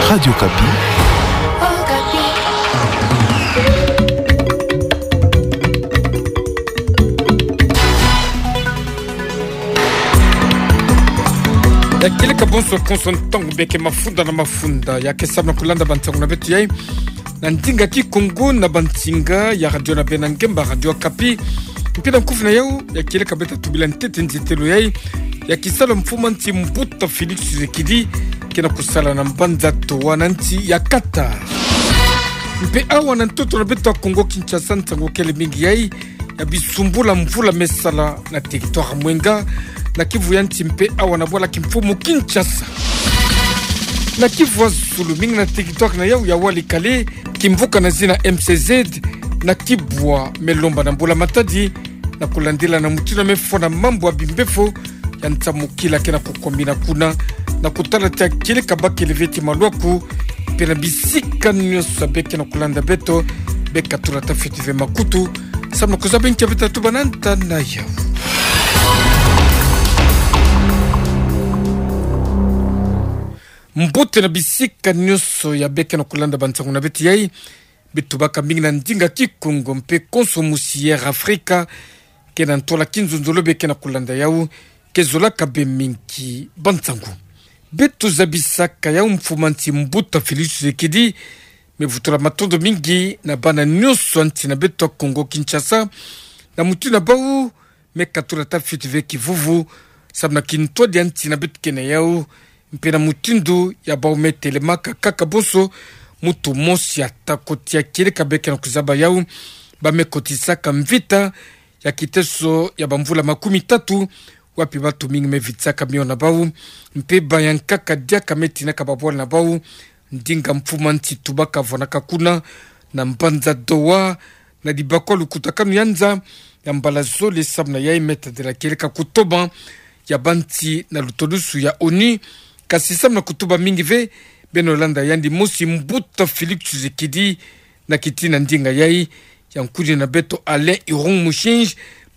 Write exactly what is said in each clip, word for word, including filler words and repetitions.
Radio Okapi. Ya kieleka bonso konso ntangu beke mafunda na mafunda ya ke sabana kulanda bansangu na beto yai na ndinga Kikongo na bansinga ya radio na bena ngemba Radio Okapi. Mpe na nkufi na yau, ya kieleka beta tubila ntete nzetelo yai ya kisalu ya mfumu a nsi Mbuta Félix Tshisekedi kena kusala na mbanza Doha na nsi ya Qatar. Mpe awa na ntoto na beto ya Kongo Kinshasa, nsangu kele mingi yai ya bisumbula mvula me sala na territoire Mwenga, na Kivu ya nsi mpe awa na bwala kimfumu Kinshasa. Na Kivu ya zulu, mingi na territoire na yau ya Walikale, kimvuka na zina M C Z, na Kibwa me lomba na mbula-matadi, na kulandila na mutindu me fwa na mambu ya bimbefo ya nsamukila kena kukomina kuna, na kutala ti ya kieleka bakele ve ti maluaku, mpe na bisika nyonso beke na kulanda beto, beka tula tafiti ve makutu, sabana kuzaba nkia beta tubana nta na yau. Mbote na bisika nyonso ya beke na kulanda bansangu na beto yai, beto baka mingi na ndinga Kikongo mpe konso mosi ya Air Afrika, kena ntwala kinzonzolo beke na kulanda yau, ke zolaka be mingi bansangu. Beto zabisaka yau mfumu a nsi Mbuta Félix Tshisekedi me vutula matondo mingi na bana nyonso ya nsi na beto ya Kongo Kinshasa, na mutindu na bau me katula tafiti ve kivuvu, sabana kintwadi ya nsi na beto kena yau, mpe na mutindu ya bau me telemaka kaka bonso mutu mosi ata koti ya kieleka beke na kuzaba yau, ba me kotisaka mvita ya kiteso ya bamvula makumi tatu, wapi batu mingi me vitisaka mio na bau, mpe bayankaka diaka me tinaka babwala na bau, ndinga mfumu a nsi tubaka vwanaka kuna, na mbanza Doha, na dibakwa lukutakanu ya nza, ya mbala zole sabana yai me tadila kieleka kutoma ya bansi na lutolusu ya ONU, kasi sabana kutuba mingi ve, beno landa yandi mosi Mbuta Félix Tshisekedi, na kitina ndinga yai ya nkudi na beto Alain Irung Mushinji,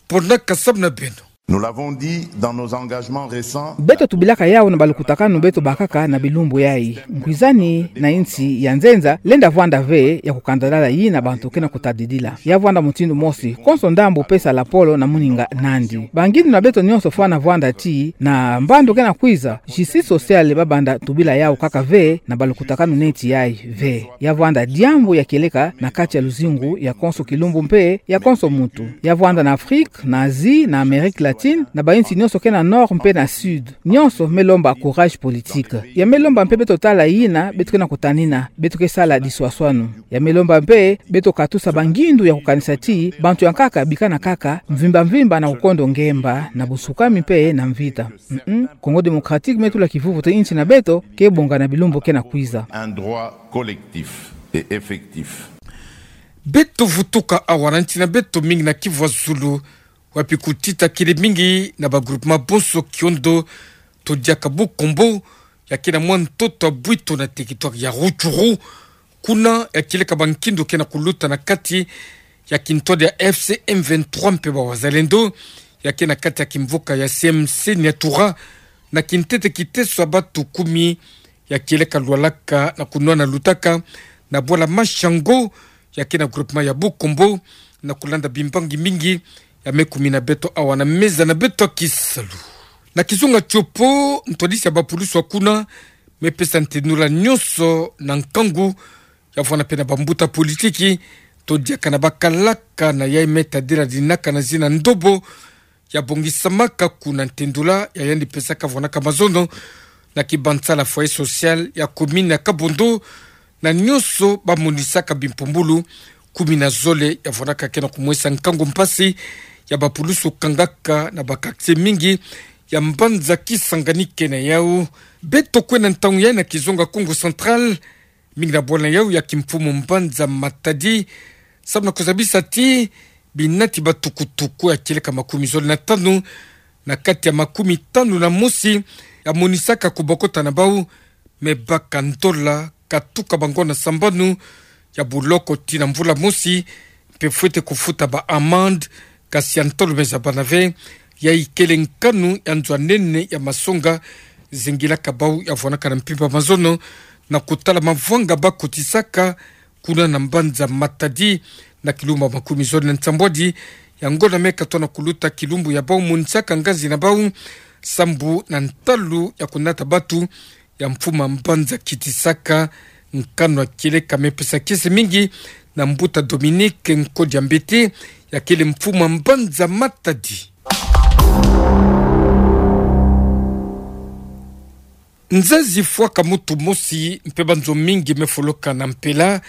ponaka sabana beno. Nous l'avons dit dans nos engagements récents. Beto tubilaka yau na balukutakanu beto bakaka na bilumbu yai. Nkwizani na insi ya nzenza lenda vwanda ve ya kukandalala yina bantu kena kutadidila. Ya vwanda mutindu mosi, konso ndambu pesa lapolo na muninga nandi. Bangindu na beto nyonso fwana vwanda ti na mbandu kena kwiza, justice sociale babanda tubila yau kaka ve na balukutakanu neti yai ve. Ya vwanda diambu ya kieleka na kati ya luzingu ya konso kilumbu mpe ya konso muntu. Ya vwanda na Afrique, na Asie, na Amérique latine, na bainsi nyonso kena Nord mpe na Sud. Nyonso me lomba courage politique. Ya me lomba mpe beto tala yina beto kena kutanina, beto ke sala diswaswanu. Ya me lomba mpe beto katusa bangindu ya kukanisa ti bantu ya nkaka bikana kaka mvimba mvimba na kukondo ngemba na busukami mpe na mvita. Mm-mm. Congo Démocratique me tula kivuvu ti insi na beto ke bonga na bilumbu kena kwiza. Un droit collectif et effectif. Beto vutuka awa na nsi na beto mingi na Kivu ya zulu, wapi kutita kele mingi na ba groupement bonso kiondo, to diaka Bukombo, ya kena mwa ntoto ya bwito na territoire ya Rutshuru, kuna ya kieleka bankindu kena kuluta na kati ya kintwadi ya F C M vingt-trois mpe ba wazalendo, ya kena kati ya kimvuka ya C M C Nyatura, na kintete kiteso ya batu kumi, ya kieleka lwalaka na kunwana lutaka na bwala Mashango, ya kena groupement ya Bukombo, na kulanda bimbangi mingi ya me kumina beto awa na meza na beto ya kisalu. Na kizunga tiopo, ntwadisi ya bapulusu ya kuna me pesa ntendula nyonso na nkangu ya vwanda mpe na bambuta politiki, to diaka na bakalaka na yai me tadila dinaka na zina ndobo, ya bongisamaka kuna, ntendula ya yandi pesaka vwanaka mazono na kibanza la foyer social ya commune ya Kabondo, na nyonso ba monisaka bimpumbulu kumi na zole ya vwanaka kena kumwesa nkangu mpasi ya bapulusu kangaka na ba quartier mingi ya mbanza Kisangani kena yau. Beto kwenda ntangu yai na kizunga Kongo Central, mingi na bwala yau ya kimfumu mbanza Matadi, samu na kuzabisa ti binati batukutuku ya kieleka makumi zole na tanu na kati ya makumi tanu na mosi ya monisaka kubokota na bau, me baka ndola katuka bango na sambanu ya buloko tii na mvula mosi, mpe fwete kufuta ba amende, kasi ya ntolo me zabana ve, yai kele nkanu ya nzo ya nene ya masonga zengilaka bau ya vwanaka na mpimpa mazono, na kotala mavwanga bakotisaka kuna na mbanza Matadi, na kilumbu makumi zole na nsambwadi ya ngonda me katona kuluta kilumbu ya bau, monisaka ngazi na bau sambu na ntalu ya konata batu ya mfuma mbanza kitisaka nkanu ya kieleka. Me pesa kiese mingi na mbuta Dominique Nkodia Mbete, ya kele mfuma mbanza Matadi. Nzazi fwaka mutu mosi mpe banzo mingi me fuluka na mpela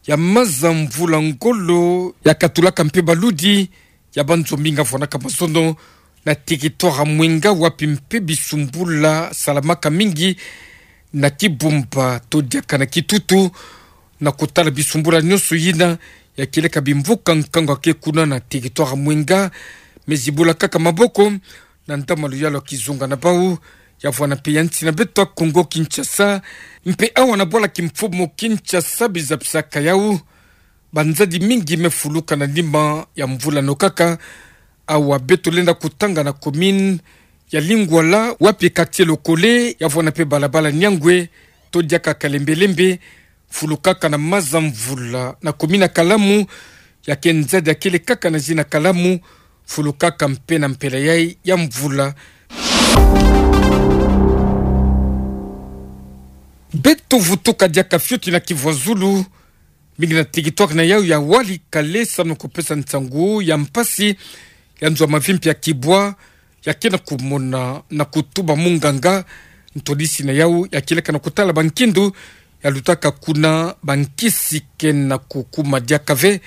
ya maza mvula ngolo ya katulaka mpe baludi ya banzo mingi vwanaka mazono na territoire ya Mwenga, wapi mpe bisumbula salamaka mingi na Kibumba to diaka na Kitutu, na kotala bisumbula nyonso yina ya kieleka bimvuka nkangu ya ke kuna na territoire ya Mwenga. Me zibula kaka maboko na ntama luyalu ya kizunga na bau, ya vwana mpe ya nsi na beto ya Congo Kinshasa, mpe awa na bwala kimfumu Kinshasa bizapisaka yau. Banzadi mingi me fuluka na nima ya mvula no kaka. Awa beto lenda kotanga na commune ya Lingwala, wapi quartier Lokole ya vwana mpe balabala Nyangwe to diaka Kalembelembe, fulukaka na maza mvula. Na commune ya Kalamu, ya ke nzadi ya kele kaka na zina Kalamu, fulukaka mpe na mpela yai ya mvula. Beto vutuka diaka fioti na Kivu ya Zulu, mingi na territoire na yau ya Walikale, samu na kopesa nsangu ya mpasi ya nzo ya mavimpi ya kibwa ya ke na komona na kotuba munganga. Ntwadisi na yau ya kieleka na kotala bankindu ya lutaka kuna, bankisi ke na kokuma diaka ve.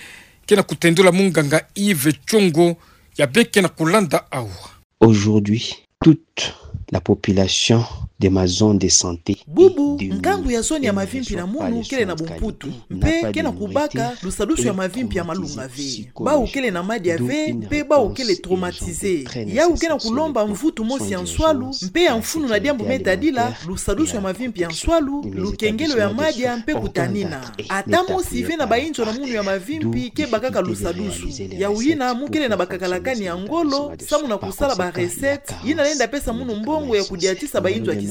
Ke na kotendula munganga Yves Tshongo, ya bê ke na kolanda awa. Aujourd'hui, toute la population de ma zone de santé. Bubu, nkangu ya zone ya mavimpi na munu kele na bumputu, mpe ke na kubaka lusadusu ya mavimpi ya malunga ve. Bau kele na madia ve, mpe bau kele traumatisé. Yau ke na kulomba mvutu mosi ya nswalu, mpe ya mfunu na diambu me tadila lusadusu ya mavimpi ya nswalu, lukengelo ya madia, mpe kutanina. Ata mosi ve na bayinzo na munu ya mavimpi ke bakaka lusadusu. Yau yina mu kele na bakakalakani ya ngolo, samu na kusala ba recette yina lenda pesa munu mbongo ya kudiatisa bayinzo ya kisalu.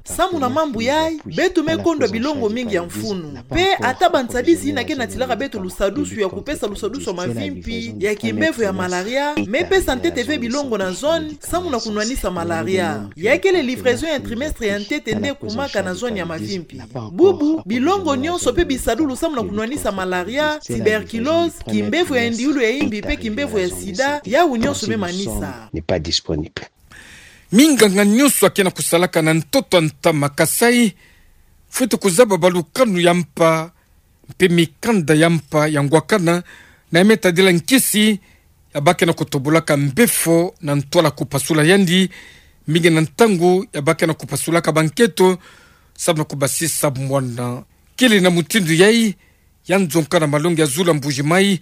Samu na mambu yai, beto me kondwa bilongo mingi ya mfunu. Mpe ata bansadisi yina ke natilaka beto lusadusu ya kupesa lusadusu ya mavimpi ya kimbevo ya malaria, me pesa ntete ve bilongo na zone, samu na kunwanisa malaria. Ya kele livraison ya trimestre ya ntete nde kumaka na zone ya mavimpi. Bubu, bilongo nyonso mpe bisadulu samu na kunwanisa malaria, tuberculose, kimbevo ya ndiulu ya imbi mpe kimbevo ya sida, yau nyonso me manisa. N'est pas disponible. Minganga nyonso ya ke na kusalaka na ntoto ya ntama Kasai fwete kuzaba balukanu ya mpa mpe mikanda ya mpa ya ngwakana, na ya me tadila nkisi ya ba ke na kotobolaka mbefo na ntwala kupasula yandi, mingi na ntangu ya ba ke na kupasulaka banketo samu na kubasisa mwana. Kele na mutindu yai ya nzonka na malongi ya zulu ya Mbuji-Mayi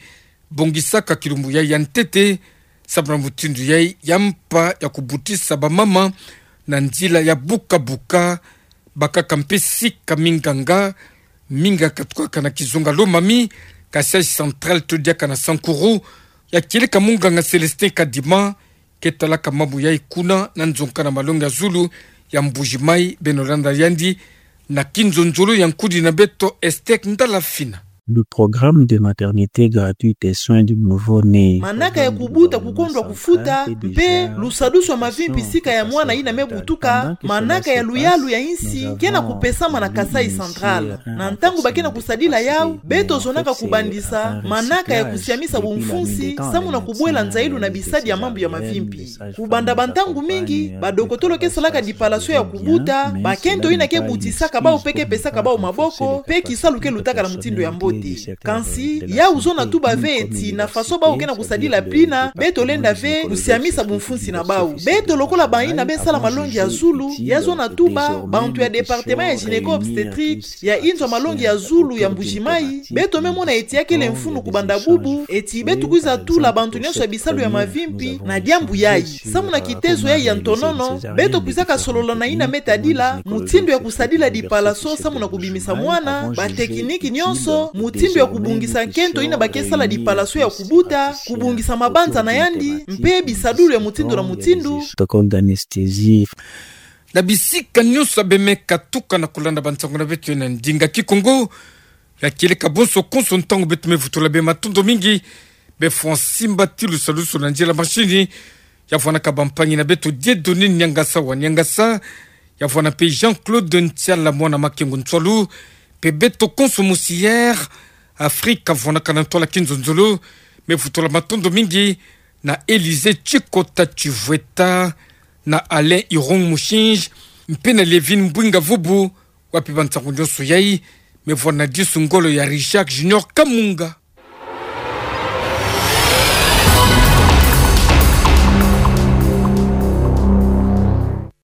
bongisaka kilumbu yai ya ntete, samu na mutindu yai ya mpa ya kubutisa bamama na nzila ya buka-buka. Bakaka mpe sika minganga, mingi katukaka na kizunga Lomami, Kasaï Central to diaka na Sankuru, ya kieleka munganga Célestin Kadima, ke talaka mambu yai kuna na nzonka na malongi ya zulu ya Mbuji-Mayi. Beno landa yandi na kinzonzolo ya nkudi na beto Esther Ndala Fina. Le programme de maternité gratuite et soins du nouveau-né. Manaka ya kubuta kukondwa kufuta, mpe lusadusu ya mavimpi sika ya mwana yina me butuka, manaka ya luyalu ya insi ke na kupesama na Kasaï Central. Na ntangu ba ke na kusadila yau, beto zonaka kubandisa manaka ya kusiamisa bumfunsi, samu na kubwela nzailu na bisadi ya mambu ya mavimpi. Kubanda bantangu mingi, badokotolo ke salaka dipalasio ya kubuta bakento yina ke butisaka bau mpe ke pesaka bau maboko, mpe kisalu ke lutaka na mutindu ya mbote. Kansi, yau zona tuba ve ti na faso bau ke na kusadila bina, beto lenda ve kusiamisa bumfunsi na bau. Beto lokola bayina be sala malongi ya zulu, ya zona tuba, bantu ya département ya gynéco-obstétrique, ya inzo ya malongi ya zulu ya Mbuji-Mayi, beto me mona eti ya kele mfunu kubanda bubu, eti beto kwiza tula bantu nyonso ya bisalu ya mavimpi na diambu yai. Samu na kitezo yai ya ntonono, beto kwizaka solola na yina me tadila mutindu ya kusadila dipalasio samu na kubimisa mwana, batekiniki nyonso, mutindu ya kubongisa nkento yina ba ke sala dipalasio ya kubuta, kubongisa mabanza na yandi, mpe bisadulu ya mutindu na mutindu. Protocole d'anesthésie. Na bisika nyonso abe me katuka na kolanda bansango na beto na ndinga Kikongo, ya kieleka bonso konso ntangu beto me vutula bima matondo mingi. Be fwa simba tilu saluso na nzila machine, ya vwanaka bampangi na beto Dieudonné Niangasa wa Niangasa, ya vwana mpe Jean-Claude Ntiala mwana Makengo Nsualu, mpe beto konso musi Air Afrique vwanaka na ntwala kinzonzolo, me vutula matondo mingi na Élysée Tshikota Tshivweta, na Alain Irung Mushinji, mpe na Lévin Mbwinga Vubu, wapi bansango nyonso yai, me vwana disu ngolo ya Richard Junior Kamunga.